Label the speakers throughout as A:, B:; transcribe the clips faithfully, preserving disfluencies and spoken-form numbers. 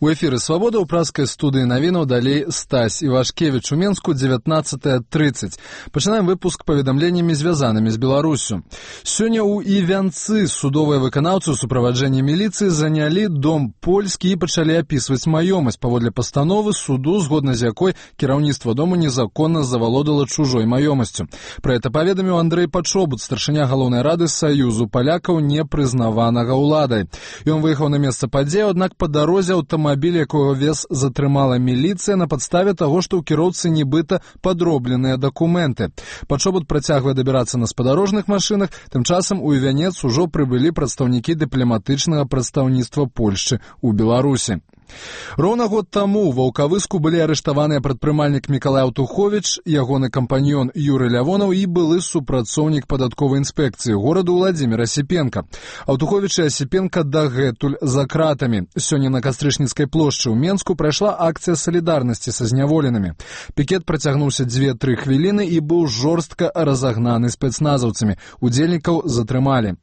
A: У эфіры «Свабода» ў праскай студыі навінаў далей Стась Івашкевіч у Менску дзевятнаццатая трыццаць. Пачынаем выпуск паведамленнямі, звязанымі з Беларусю. Сёння ў Івянцы судовыя выканаўцы ў суправаджэнні міліцыі занялі дом польскі і пачалі апісваць маёмасць паводле пастановы суду, згодна з якой кіраўніцтва дому незаконна завалодала чужой маёмасцю. Пра гэта паведаміў Андрэй Пачобут, старшыня галоўнай рады Саюзу палякаў, непрызнаванага ўладай. Ён выехаў на месца падзеі, аднак па дарозе аўтамабіль Аўтамабіль, якога вез затрымала міліцыя на падставе таго, што ў кіроўцы нібыта падробленыя дакументы. Пачобут працягвае дабірацца на спадарожных машынах, тым часам у Івянец ужо прыбылі прадстаўнікі дыпламатычнага прадстаўніцтва Польшчы ў Беларусі. Роўна год таму ва Ваўкавыску былі арыштаваныя прадпрымальнік Мікалай Аўтуховіч, ягоны кампаньён Юрый Лявонаў і былы супрацоўнік падатковай інспекцыі гораду Владзімір Асіпенка. Аўтуховіч і Асіпенка дагэтуль за кратамі. Сёння на Кастрычніцкай плошчы ў Менску прайшла акцыя салідарнасці са зняволенымі. Пікет працягнуўся дзве-тры хвіліны і быў жорстка разагнаны спецназаўцамі. Удзельнікаў затрымалі.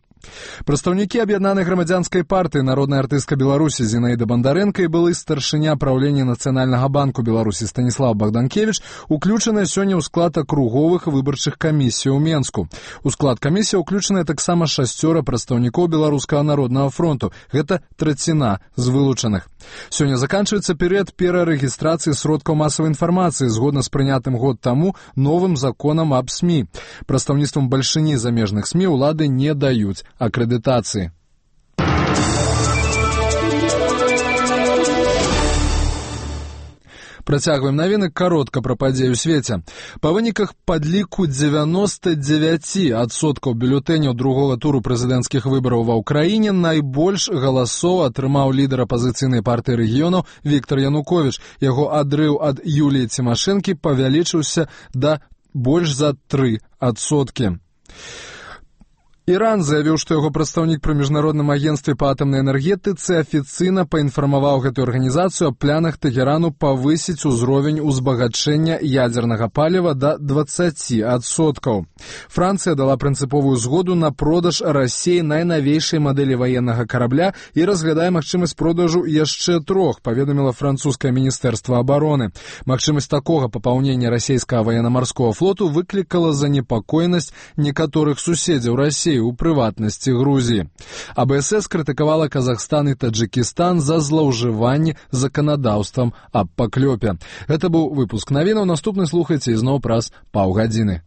A: Прадстаўнікі аб'яднанай грамадзянскай партыі «Народная артыстка Беларусі» Зінаіда Бандарэнка і былы старшыня праўлення Нацыянальнага банку Беларусі Станіслав Багданкевіч уключаныя сёння ў склад акруговых выбарчых камісій у Менску. У склад камісіі ўключаныя таксама шасцёра прадстаўнікоў Беларускага народнага фронту. Гэта траціна з вылучаных. Сёння заканчваецца перыяд перарэгістрацыі сродкаў масавай інфармацыі згодна з прынятым год таму новым законам аб СМІ. Прадстаўніцтвам бальшыні замежных СМІ ўлады не даюць акрэдытацыі. Працягваем навіны каротка пра падзеі ў свеце. Па выніках падліку дзевяноста дзевяць адсоткаў бюлетэняў другога туру прэзідэнцкіх выбараў ва ўкраіне найбольш галасоў атрымаў лідар апазіцыйнай партыі рэгіёнаў Віктор Януковіч. Яго адрыў ад Юліі Цімашэнкі павялічыўся да больш за тры адсоткі. Іран заявіў, што яго прадстаўнік пры міжнародным агенцтве па атамнай энергетыцы афіцыйна паінфармаваў гэтую арганізацыю аб планах Тэгерану павысіць узровень узбагачэння ядзернага паліва да дваццаці адсоткаў. Францыя дала прынцыповую згоду на продаж Расіі найнавейшай мадэлі ваеннага карабля і разглядае магчымасць продажу яшчэ трох, паведаміла французскае міністэрства абароны. Магчымасць такога папаўнення расійскага ваенна-марскога флоту выклікала занепакоенасць некаторых суседзяў Расіі, у прыватнасці Грузіі. А Бэ Эс Эс крытыкавала Казахстан і Таджикістан за злоўжыванне заканадаўствам аб паклёпе. Гэта быў выпуск навінаў. Наступны слухайце ізноў праз паўгадзіны.